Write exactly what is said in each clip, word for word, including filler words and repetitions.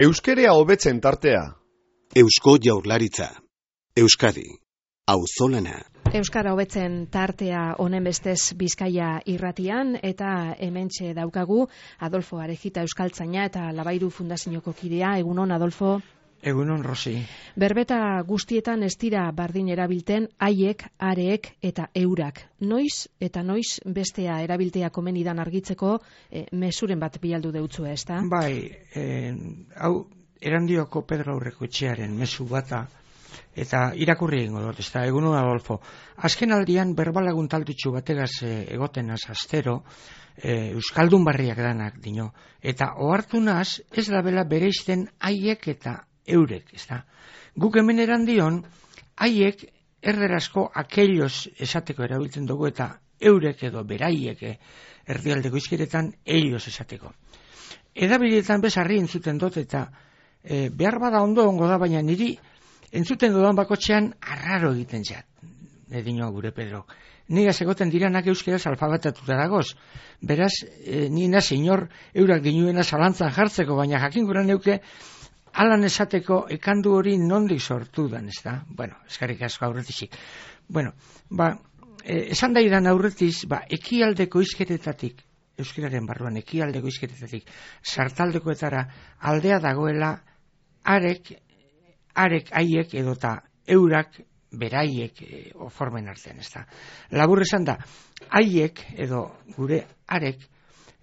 Euskerea hobetzen tartea. Eusko Jaurlaritza. Euskadi. Auzolana. Euskara hobetzen tartea honen bestez Bizkaia irratian, eta hementxe daukagu Adolfo Arejita euskaltzaina eta Labairu Fundazioko kidea. Egunon, Adolfo. Egunon, Rosi. Berbeta guztietan ez dira bardin erabilten haiek, areek eta eurak. Noiz eta noiz bestea erabiltea komenidan argitzeko e, mesuren bat bialdu deutzu, ez da? Bai, eh, hau Erandioko Pedro Aurrekoetxearen mezu bata, eta irakurri egingo dut, ez da, egunon, Adolfo. Azken aldian berbalagun taltutxu bategaz e, egotenaz astero, e, Euskaldun barriak danak dino, eta ohartunaz ez da bela bereizten haiek eta eurek, ez da. Guk hemen Erandion, haiek erderazko aquellos esateko erabiltzen dugu, eta eurek edo beraiek erdialdeko izkeretan ellos esateko. Edabidetan bezarri entzuten dut, eta e, behar bada ondo ongo da, baina niri entzuten dudan bakotxean arraro egiten zat, edino gure Pedro. Nigaz egoten diranak euskeraz alfabetatuta dagoz. Beraz, e, nina senyor eurak dinuena zalantzan jartzeko, baina jakin gura neuke alan esateko ekandu hori nondik sortu dan, ez da? Bueno, eskarrik asko aurretizik. Bueno, ba, e, esan daidan aurretiz, ba, ekialdeko izkeretatik, euskeraren barruan, ekialdeko izkeretatik, sartaldekoetara aldea dagoela arek, arek haiek edota eurak beraiek e, formen artean, ez da? Labur esan da, haiek edo gure arek,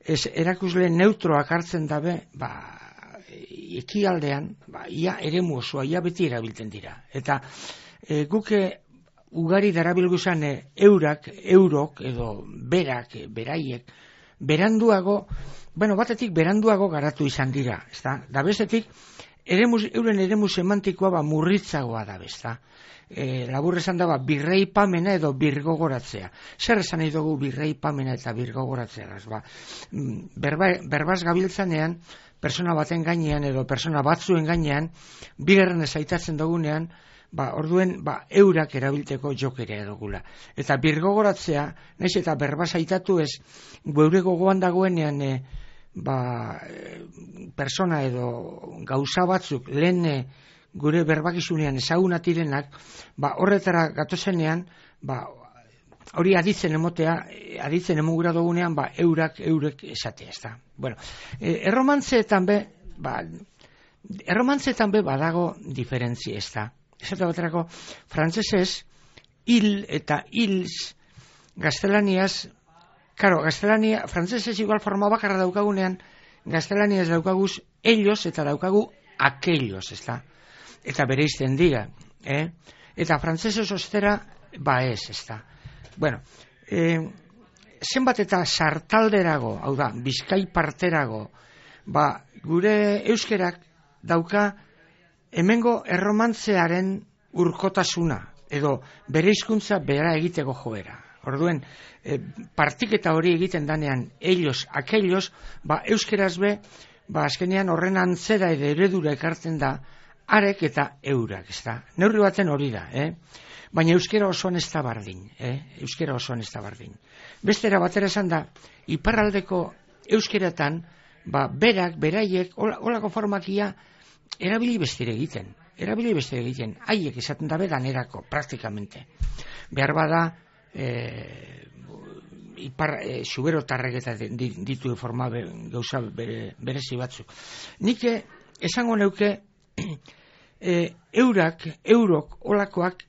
ez erakusle neutroak hartzen dabe, ba, ekialdean, ba, ia eremu osoa, ia beti erabiltzen dira. Eta e, guke ugari darabilguzan e, eurak, eurok edo berak, beraiek, beranduago, bueno, batetik beranduago garatu izan dira, ez da? Da bestetik, eremu, euren eremu semantikoa ba, murritzagoa da, ez da? E, labur esan da, ba, birreipamena edo birgogoratzea. Zer esan nahi dugu birreipamena eta birgogoratzea? Ba, berba, berbaz gabiltzanean, persona baten gainean edo persona batzuen gainean, bigarren ezaitatzen dugunean, ba, orduen ba, eurak erabilteko jokera edogula. Eta birgogoratzea, naiz eta berba zaitatu ez, geure gogoan dagoenean, e, ba, e, persona edo gauza batzuk lehen e, gure berbakizunean ezagunatirenak, ba, horretara gatozenean, ba, hori aditzen emotea, aditzen emugura dugunean, ba, eurak, eurek esatea, ez da. Bueno, e, erromantzeetan be, ba, erromantzeetan be badago diferentzia, ez da. Esate baterako, frantzesez, hil eta hils, gaztelaniaz, karo, gaztelania, frantzesez igual forma bakarra daukagunean, gaztelaniaz daukaguz ellos eta daukagu aquellos, ez da. Eta bereizten dira, eh? Eta frantzesez ostera, ba ez, ez da. Bueno, eh, zenbat eta sartalderago, hau da, Bizkai parterago, ba, gure euskerak dauka hemengo erromantzearen urkotasuna, edo bere hizkuntza bera egiteko joera. Orduen, e, partiketa hori egiten danean, ellos, aquellos, ba, euskeraz be, ba, azkenean horren antzera edo eredura ekartzen da, arek eta eurak, ez da. Neurri baten hori da, eh? Baina euskera osoan ez da bardin, eh? Euskera osoan ez da bardin. Bestera batera esan da, iparraldeko euskeratan, ba, berak, beraiek, holako formakia, erabili bestire egiten. Erabili bestire egiten. Haiek esaten dabe danerako, praktikamente. Behar bada, e, ipar, e, suberotarrek eta ditu forma be, gauza bere, berezi batzuk. Nik esango neuke, e, eurak, eurok, olakoak,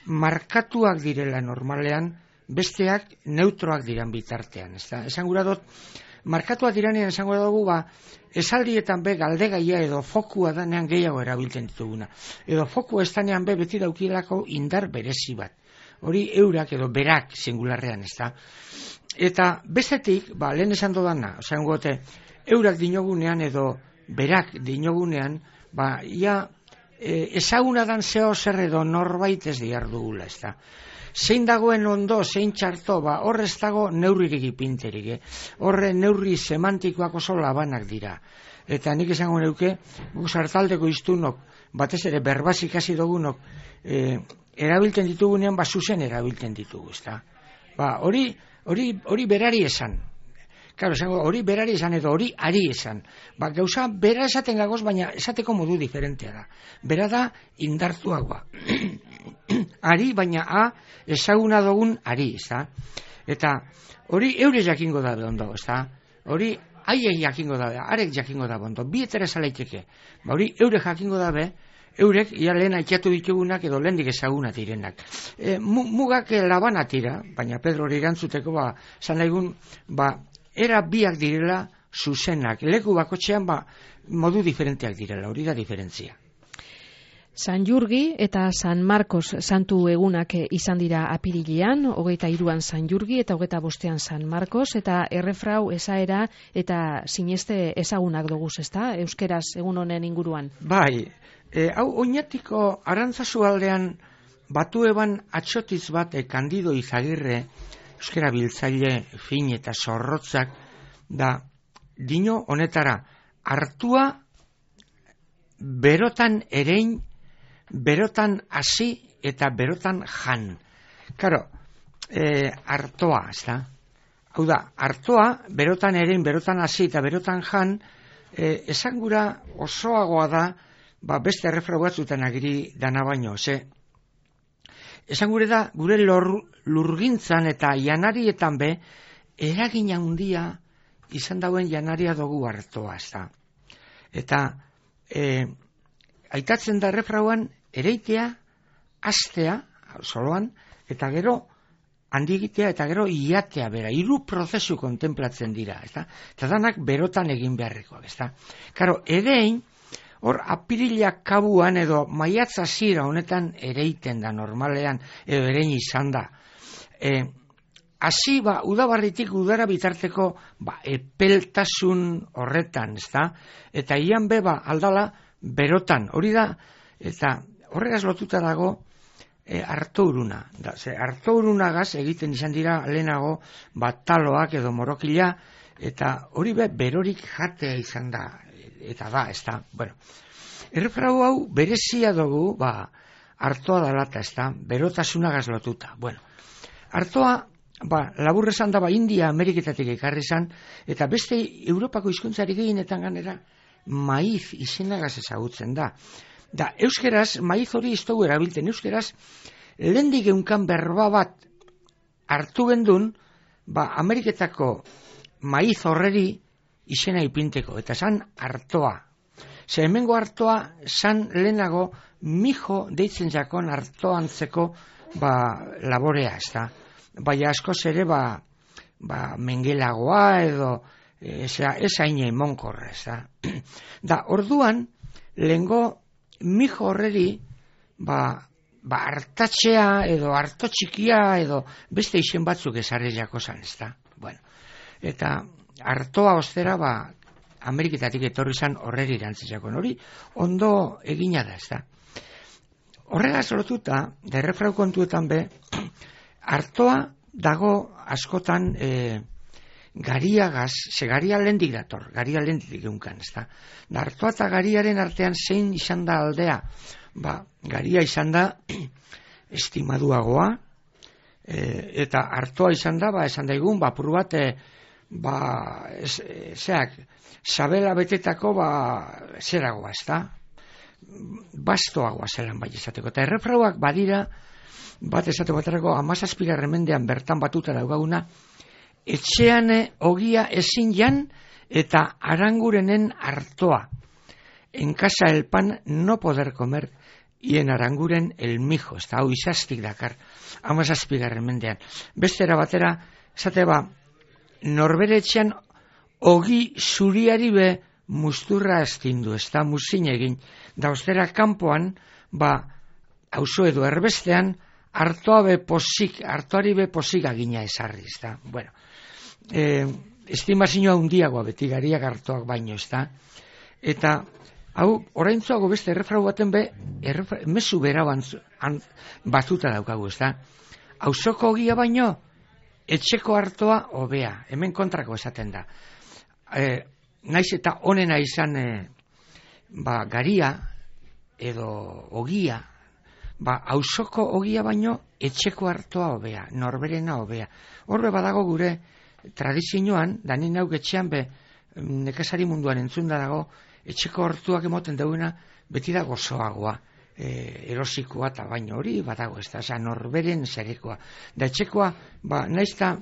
markatuak direla normalean, besteak neutroak diran bitartean. Esan gura dut, markatuak diranean esan gura dugu, ba, esaldietan be galdegaia edo fokua danean gehiago erabiltzen dituguna. Edo fokua ez danean be beti daukielako indar berezi bat. Hori eurak edo berak singularrean, ez da. Eta bestetik, ba, lehen esan dodana, esan gote, eurak dinogunean edo berak dinogunean, ba, ia, E, ezaguna dan zeo zer edo norbait ez diar dugula, ez da. Zein dagoen ondo, zein txarto, ba, horrez dago neurririk ipinterik, eh? Horre neurri semantikoak oso labanak dira. Eta nik esango neuke, guk sartaldeko iztunok, batez ere berbaz ikasi dugunok, e, erabiltzen ditugunean, ba, zuzen erabiltzen ditugu, ez da. Ba, hori, hori, hori berari esan. Claro, esango, hori berari esan edo hori ari esan. Ba, gauza bera esaten gagoz, baina esateko modu diferentea da. Bera da indartuagoa. Ari, baina a, ezaguna dugun ari, ez da? Eta hori eure jakingo da ondo, ez da? Hori haiek jakingo da, arek jakingo da ondo. Bi etera esalaiteke. Ba, hori eure jakingo da be, eurek, ia lehen aitzatu ditugunak edo lehendik ezaguna direnak. E, mugak labana tira, baina Pedro hori erantzuteko, ba, zan nahigun, ba, era biak direla zuzenak. Leku bakotxean, ba, modu diferenteak direla, hori da diferentzia. San Jurgi eta San Marcos santu egunak izan dira apirilean, hogeita hiruan San Jurgi eta hogeita bostean San Marcos, eta errefrau esaera eta sineste ezagunak doguz, ezta? Euskeraz egun honen inguruan. Bai, e, hau oinatiko Arantzazu aldean batu eban atxotiz bat e, Kandido Izagirre, euskera biltzaile fin eta zorrotzak, da dino honetara, hartua berotan erein, berotan hasi eta berotan jan. Karo, e, artoa, ez da? Hau da, artoa, berotan erein, berotan hasi eta berotan jan, e, esan gura osoagoa da, ba, beste errefrau batzutan agiri dana baino, ze, esan gure da, gure lor, lurgintzan eta janarietan be, eragin handia izan dauen janaria dugu artoa, ez da? Eta, e, aitatzen da errefrauan, ereitea, astea, soloan, eta gero handigitea eta gero iatea bera. Hiru prozesu kontemplatzen dira, ezta? Eta danak berotan egin beharrekoak, ezta? Karo, erein, hor apirilak kabuan edo maiatz hasiera honetan ereiten da normalean, edo erein izan da. E, hasi, ba, udabarritik udara bitarteko, ba, epeltasun horretan, ezta? Eta ian beba aldala berotan, hori da, eta horregaz lotuta dago e, artouruna. Da, ze artourunagaz egiten izan dira lehenago bataloak edo morokila, eta hori be berorik jatea izan da, eta da, ez da. Bueno, errefrau hau berezia dugu, ba, artoa dalata, ez da, berotasunagaz lotuta. Bueno, artoa, ba, labur esan da, ba, India, Ameriketatik ekarri izan, eta beste Europako hizkuntzari gehienetan ganera, maiz izenagaz ezagutzen da. Da, euskeraz, maiz hori ez dugu erabiltzen, euskeraz, lehendik eunkan berba bat hartu gendun, ba, Ameriketako maiz horreri izena ipinteko, eta zan artoa. Ze hemengo artoa, zan lehenago, mijo deitzen jakon artoantzeko, ba, laborea, ez da. Baina askoz ere, ba, ba, mengelagoa edo, ez haine imonkorra, ez da. Da, orduan, lehengo, mijo horreri, ba, ba, hartatxea edo harto txikia edo beste izen batzuk ezarri jako zan, ez da. Bueno, eta hartoa ostera, ba, Ameriketatik etorri zan horreri irantzitzakon hori, ondo egina da, ez da. Horregaz lotuta, da errefrau kontuetan be, hartoa dago askotan, e, gariagaz, ze garia lendik dator, garia lendik eunkan, ez da. Da, hartoa eta gariaren artean zein izan da aldea, ba, garia izan da estimaduagoa, e, eta hartoa izan da, ba, esan daigun, ba, puru bat, e, ba, ez, e, zeak, sabela betetako, ba, zeragoa, ez da, bastoagoa zelan bai esateko, eta errefrauak badira, bat esate baterako, amazazpigarren mendean bertan batuta daugaguna, etxean ogia ezin jan eta arangurenen hartoa. En casa el pan no poder comer y en aranguren el mijo. Ez da, hau izaztik dakar, amazazpigarren mendean. Bestera batera, esate ba, norbere etxean ogi zuriari be musturra astindu, ez da, muzin egin. Da, ostera kanpoan, ba, auzo edo erbestean, hartoa be posik, hartoari be posik agina esarri, ez da. Bueno, e, estimazioa hundiagoa beti gariak hartoak baino, ez da. Eta, hau, oraintzuago beste errefrau baten be, errefrau, mezu bera bantzu, an, batuta daukagu, ez da. Auzoko ogia baino, etxeko hartoa hobea, hemen kontrako esaten da. E, naiz eta honena izan, e, ba, garia, edo ogia, ba, auzoko ogia baino etxeko hartoa hobea, norberena hobea. Horbe badago gure tradizioan, da nien hau getxean be, nekazari munduan entzunda dago, etxeko hortuak emoten dauna, beti da gozoagoa, e, erosikoa eta baino hori, badago ez da, oza, norberen zerekoa. Da etxekoa, ba, naizta,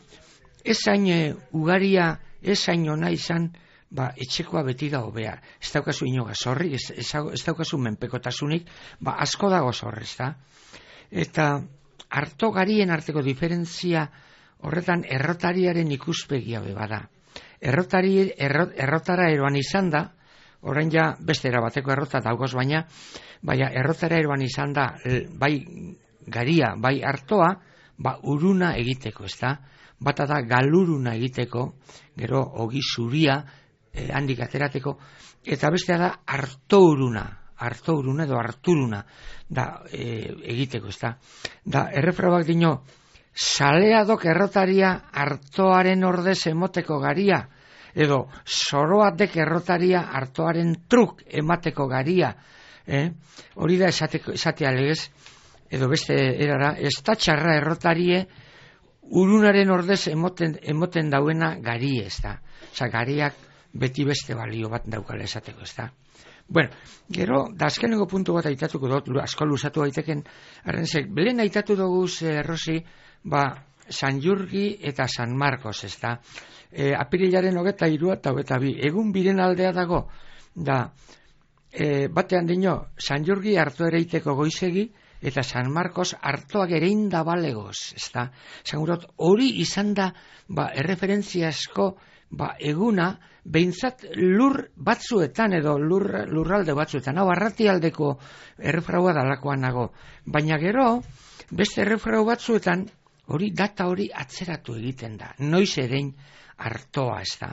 ez hain e, ugaria, ez hain ona izan, ba, etxekoa beti da hobea. Ez daukazu inoga zorri, ez, ez, ez daukazu menpekotasunik, ba, asko dago zorri, ez da. Eta harto garien arteko diferentzia horretan errotariaren ikuspegia bada. Errotari, errot, errotara eroan izan da, orain ja beste erabateko errota daugoz baina, baina errotara eroan izan da, bai garia, bai hartoa, ba, uruna egiteko, ez da. Bata da galuruna egiteko, gero ogi zuria, eh, handik aterateko, eta bestea da hartouruna, hartouruna edo harturuna da e, egiteko, ez da. Da, errefrauak dino, saleadok errotaria hartoaren ordez emoteko garia, edo zoroatek errotaria hartoaren truk emateko garia, eh? Hori da esateko, esatea legez, edo beste erara, ez da txarra errotarie urunaren ordez emoten, emoten dauena gari, ez da. Osa, gariak beti beste balio bat daukala esateko, ez da. Bueno, gero, da azkenengo puntu bat aitatuko dut, asko luzatu daiteken, arrenzek, belen aitatu dugu, eh, Rosi, ba, San Jurgi eta San Marcos, ez da. E, apirilaren hogeta irua eta hogeta bi, egun biren aldea dago, da, e, batean dino, San Jurgi hartu ereiteko goizegi, eta San Marcos hartoak erein da balegoz, ez da. Zagurot, hori izan da, ba, erreferentziasko, ba, eguna, behintzat lur batzuetan edo lur, lurralde batzuetan, hau arratialdeko errefraua dalakoan nago. Baina gero, beste errefrau batzuetan, hori data hori atzeratu egiten da. Noiz erein hartoa, ez da.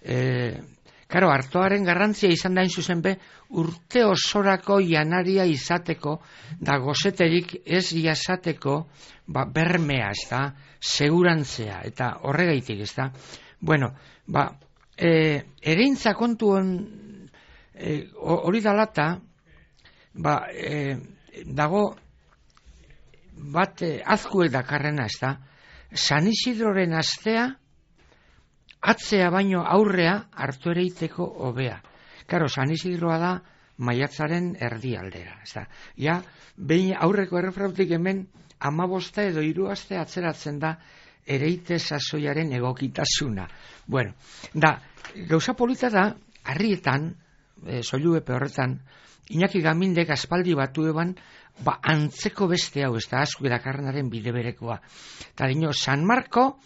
E, karo, hartoaren garrantzia izan da zuzen be, urte osorako janaria izateko, da gozeterik ez jasateko, ba, bermea, ez da, segurantzea, eta horregaitik, ez da. Bueno, ba, e, ereintza kontuan e, hori dalata, ba, e, dago bat e, azkuek dakarrena, ez da, San Isidroren astea atzea baino aurrea hartu ereiteko hobea. Karo, San Isidroa da maiatzaren erdialdera, ez da. Ja, behin aurreko errefrautik hemen amabosta edo hiru aste atzeratzen da ereite sasoiaren egokitasuna. Bueno, da, gauza polita da, harrietan, e, soilu epe horretan, Iñaki Gamindek aspaldi batu eban, ba, antzeko beste hau, ez da, asko edakarrenaren bide berekoa. Eta dino, San Marco,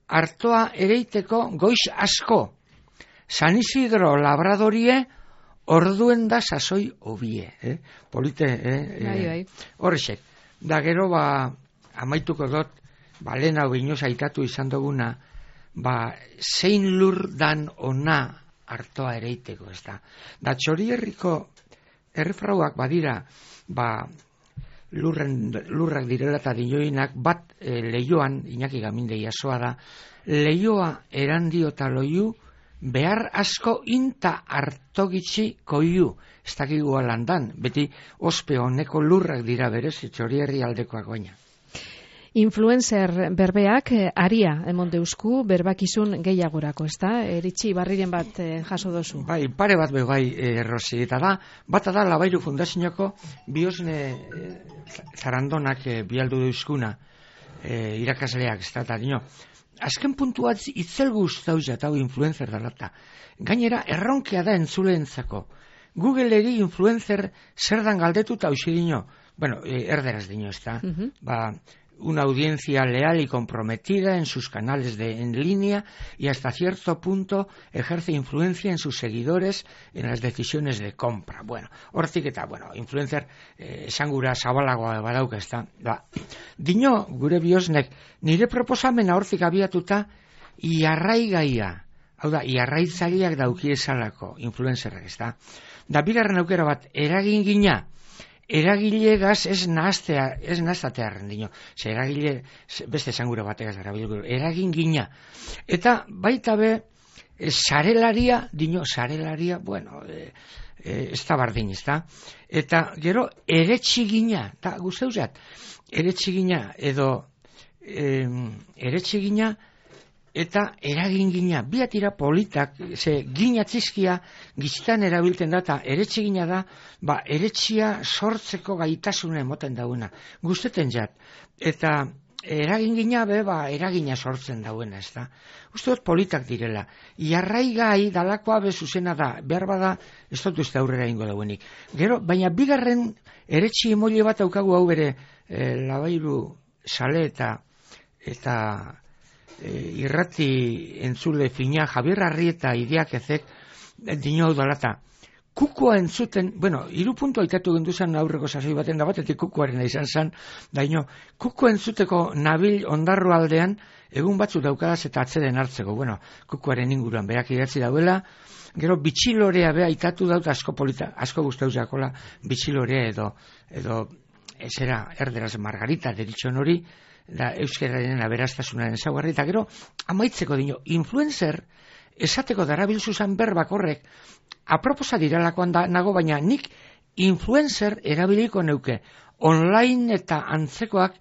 hartoa ereiteko goiz asko. San Isidro labradorie, orduen da sasoi hobie. Eh? Polite, eh? Bai, bai. Horrexek. Da, gero, ba, amaituko dut, ba, lehen hau inoz aitatu izan duguna, ba, zein lur dan ona hartoa ereiteko, ez da. Da, Txorierriko errefrauak badira, ba, lurren, lurrak direla eta dinoinak, bat e, leioan, Iñaki Gaminde jasoa da, leioa erandio eta loiu, behar asko inta hartogitzi koiu, ez dakigu alandan, beti ospe honeko lurrak dira berez, Txorierri aldekoak baina. Influencer berbeak aria emon deusku berbakizun gehiagorako, ez da? Eritxi barriren bat eh, jaso dozu. Bai, pare bat be bai, eh, Rosi, eta da, bata da Labairu Fundazionako biosne eh, zarandonak eh, bialdu deuzkuna eh, irakasleak, ez da, eta dino, azken puntua itzel guztauz eta hau influencer dalata. Gainera, erronkea da entzuleentzako. Googleri influencer zer dan galdetu eta hausi dino, bueno, eh, erderaz dino, ez da, uh-huh. Ba, una audiencia leal y comprometida en sus canales de en línea y hasta cierto punto ejerce influencia en sus seguidores en las decisiones de compra. Bueno, hortik eta, bueno, influencer eh, esan gura zabalagoa badauka, ez da. Da. Dino, gure biosnek, nire proposamena hortik abiatuta iarraigaia, hau da, iarraitzaileak dauki esalako influencerrak, ez da. Da, bigarren aukera bat, eragin gina, eragilegaz ez nahaztea, ez nahaztatearen dino. Ze eragile, beste esangura bategaz erabilgu, eragin gina. Eta baita be, e, sarelaria, dino, sarelaria, bueno, e, e, ez da bardin, ez da. Eta gero, eretxigina, eta guzteuzat, eretxigina edo, e, eretxigina eta eragin gina, biatira politak, ze gina txizkia giztan erabilten da, eta eretxe gina da, ba, eretxia sortzeko gaitasuna emoten dauna. Guzteten jat. Eta eragin gina be, ba, eragina sortzen dauena, ez da. Uste dut politak direla. Iarraigai dalakoa be zuzena da, behar bada, ez dut uste aurrera ingo dauenik. Gero, baina bigarren eretxi emoile bat aukagu hau bere, e, labairu sale eta, eta e, irrati entzule fina, Javier Arrieta ideak ezek, dino hau dalata. Kukoa entzuten, bueno, hiru puntu aitatu genduzan aurreko sasoi baten da batetik kukoaren izan zen, daino, kuko entzuteko nabil ondarro aldean, egun batzu daukadaz eta atzeden hartzeko, bueno, kukoaren inguruan berak idatzi dauela, gero bitxilorea beha aitatu daut asko polita, asko guztauz jakola bitxilorea edo, edo, ezera, erderaz Margarita deritxon hori, da euskararen aberastasunaren ezaugarri, eta gero, amaitzeko dino, influencer, esateko darabilzuzan berbak horrek, aproposa diralakoan da, nago, baina nik influencer erabiliko neuke, online eta antzekoak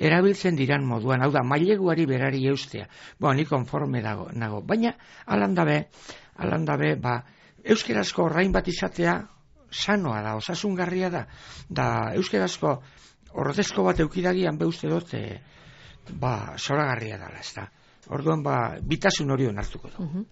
erabiltzen diran moduan, hau da, maileguari berari eustea. Bo, nik konforme dago, nago, baina alandabe, alandabe, ba, euskerazko orrain bat izatea sanoa da, osasungarria da, da euskerazko ordezko bat eukidagian be uste dut, e, ba, zoragarria dala, ez da. Orduan, ba, bitasun hori onartuko du. Uh-huh.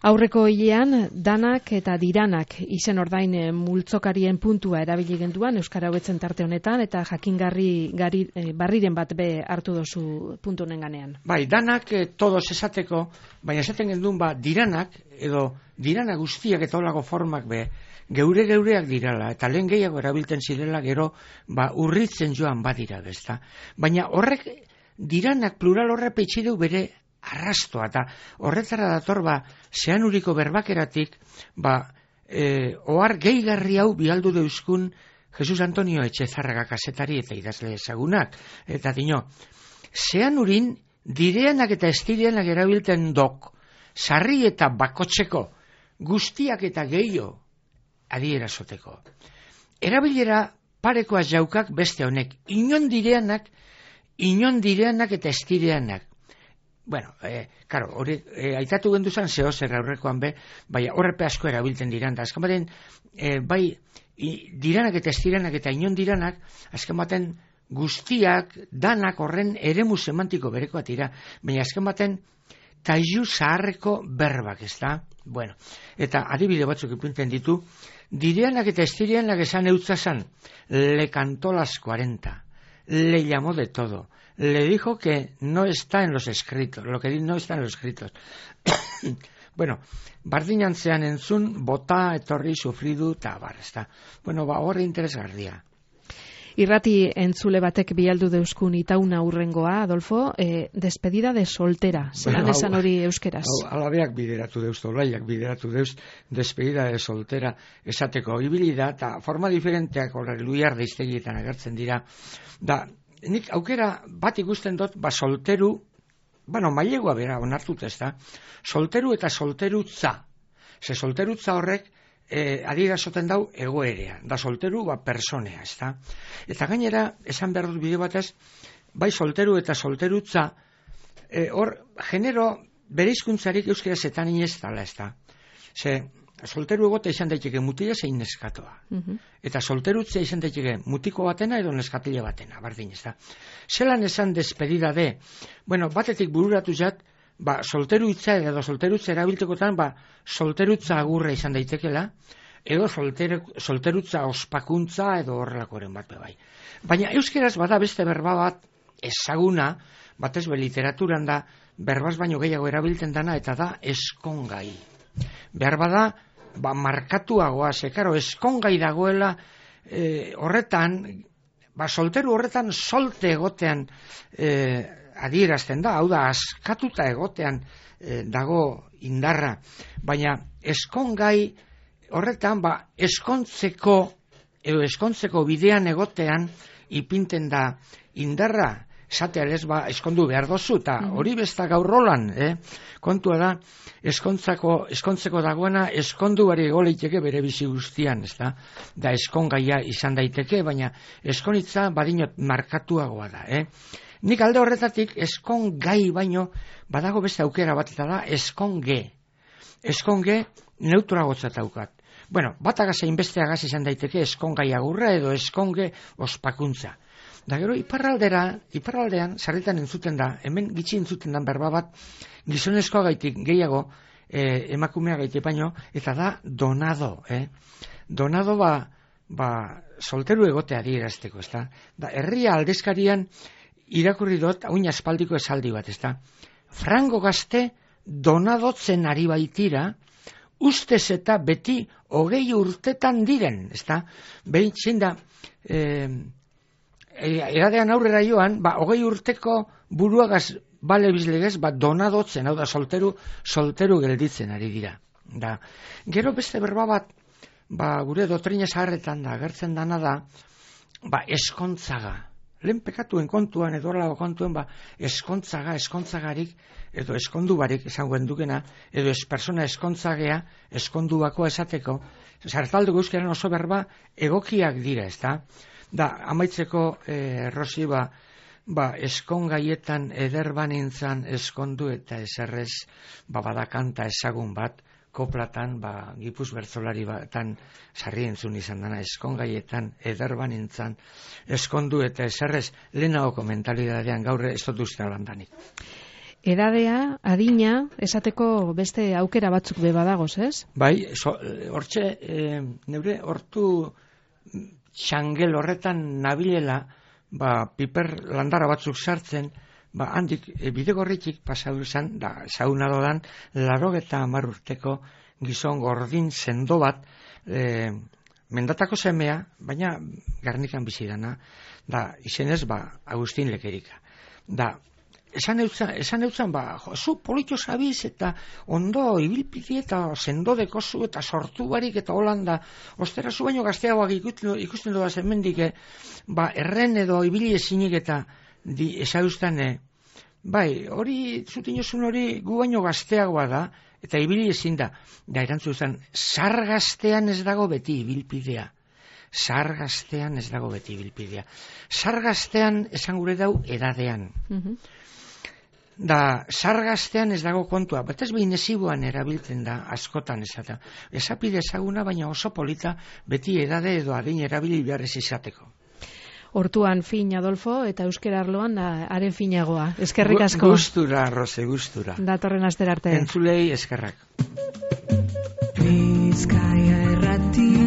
Aurreko hilean, danak eta diranak izen ordain multzokarien puntua erabili genduan, Euskara hobetzen tarte honetan, eta jakingarri gari, e, barriren bat be hartu dozu puntu honen ganean. Bai, danak e, todos esateko, baina esaten gendun, ba, diranak, edo dirana guztiak eta holako formak be, geure geureak dirala, eta lehen gehiago erabiltzen zirela, gero, ba, urritzen joan badira, bezta. Baina horrek, diranak plural horre peitxideu bere arrastoa, eta horretara dator, ba, zeanuriko berbakeratik, ba, e, ohar gehigarri hau bialdu deuskun Jesus Antonio Etxezarraga kazetari eta idazle ezagunak. Eta dino, zeanurin direanak eta estireanak erabiltzen dok, sarri eta bakotzeko, guztiak eta gehiago adierazoteko. Erabilera parekoaz jaukak beste honek, inon direanak, inon direanak eta estireanak. Bueno, eh, karo, hori eh, aitatu genduzan zeo zer aurrekoan be, bai horrepe asko erabiltzen diran, da azken baten, eh, bai i, diranak eta estiranak eta inon diranak, azken baten guztiak, danak horren eremu semantiko berekoat dira, baina azken baten taizu zaharreko berbak, ez da? Bueno, eta adibide batzuk ipintzen ditu, direanak eta estiranak esan eutzazan, le cantó las cuarenta, le llamó de todo, le dijo que no está en los escritos, lo que no está en los escritos. Bueno, bardinantzean entzun, bota, etorri, sufridu, eta bar, ez da. Bueno, ba, horre interesgarria. Irrati entzule batek bialdu deuskun itauna urrengoa, Adolfo, eh, despedida de soltera, zelan bueno, esan hori euskeraz. Alabeak bideratu deuz, olaiak bideratu deuz, despedida de soltera esateko ibilida, eta forma diferenteak horrek luiar deiztegietan agertzen dira, da, nik aukera bat ikusten dut, ba solteru, bueno, mailegua bera onartut ez da, solteru eta solterutza, ze solterutza horrek, E, adirazoten dau egoerea, da solteru ba personea, ez da. Eta gainera, esan behar dut bide batez, bai solteru eta solterutza, e, hor, genero bereizkuntzarik euskera zetan inez dala, ez da. Ze, solteru egote izan daiteke mutila zein neskatoa. Uh-huh. Eta solterutza izan daiteke mutiko batena edo neskatile batena, bardin, ez da. Zelan esan despedida de, bueno, batetik bururatu jat, ba, solterutza edo solterutza erabiltekotan, ba, solterutza agurra izan daitekela, edo solter, solterutza ospakuntza edo horrelakoren bat bai. Baina euskeraz bada beste berba bat ezaguna, batez be literaturan da, berbaz baino gehiago erabiltzen dana, eta da eskongai. Behar bada, ba, markatuagoa, zekaro, eskongai dagoela e, horretan, ba, solteru horretan solte egotean e, adierazten da, hau da, askatuta egotean e, dago indarra, baina eskongai horretan, ba, eskontzeko, edo eskontzeko bidean egotean ipinten da indarra, zatearez, ba, eskondu behar dozu, eta hori besta gaur rolan, eh? Kontua da, eskontzako, eskontzeko dagoena, eskondu bari egoleiteke bere bizi guztian, ez da? Da, eskongaia izan daiteke, baina eskonitza badinot markatuagoa da, eh? Nik alde horretatik eskongai baino, badago beste aukera bat eta da, eskonge. Eskonge neutragotzat daukat. Bueno, batagaz egin besteagaz izan daiteke eskongai agurra edo eskonge ospakuntza. Da gero, iparraldera, iparraldean, sarritan entzuten da, hemen gitxi entzuten da berba bat, gizonezkoa gaitik gehiago, eh, emakumea gaitik baino, eta da donado, eh? Donado ba, ba solteru egotea adierazteko, ez da? Da, herria aldezkarian irakurri dut, hain aspaldiko esaldi bat, ez da? Frango gazte donadotzen ari baitira, ustez eta beti hogei urtetan diren, ez da? Behin zein da, eh, eradean aurrera joan, ba, hogei urteko buruagaz bale bizlegez, ba, donadotzen, hau da, solteru, solteru gelditzen ari dira. Da, gero beste berba bat, ba, gure doktrina zaharretan da, agertzen dana da, ba, eskontzaga. Lehen pekatuen kontuan, edo horrelago kontuen, ba, eskontzaga, eskontzagarik, edo eskondu barik, esangoen dukena, edo ez persona eskontzagea, eskondu bakoa esateko, zartalduko euskaren oso berba egokiak dira, ez da? Da, amaitzeko, eh, Rosi, ba, ba, eskongaietan ederban nintzan eskondu eta eserrez, ba, badakanta ezagun bat, koplatan, ba, Gipuz bertzolari batan sarri entzun izan dana, eskongaietan ederban nintzan eskondu eta eserrez, lehenago komentalidadean gaur ez dut uste alandanik. Edadea, adina, esateko beste aukera batzuk be badagoz, ez? Bai, hortxe, e, neure hortu txangel horretan nabilela, ba, piper landara batzuk sartzen, ba, handik, e, bidegorritik pasau izan, da, zaunado dan, larogeta hamar urteko gizon gordin sendo bat, e, mendatako semea, baina Garnikan bizi dana, da, izenez, ba, Agustin Lekerika. Da, Esan eutzan, esan eutzan, ba, jo, zu politxo zabiz eta ondo ibilpiti eta sendo dekozu eta sortu barik eta holanda, ostera zu baino gazteagoak ikusten, ikusten doaz hemendik, ba, erren edo ibili ezinik eta di, esauztan, eh, bai, hori, zutinozun hori gu baino gazteagoa da, eta ibili ezin da, da erantzu zen, zar gaztean ez dago beti ibilpidea. Zar gaztean ez dago beti ibilpidea. Zar gaztean esan gure dau edadean. Mhm. Da, sargaztean ez dago kontua, bat ez behin ezibuan erabiltzen da, askotan esata. Esapide ezaguna, baina oso polita beti edade edo adin erabili beharrez izateko. Hortuan fin, Adolfo, eta euskera arloan haren finagoa. Eskerrik asko. Gustura, Rose, gustura. Datorren astera arte. Entzulei eskerrak. Bizkaia errati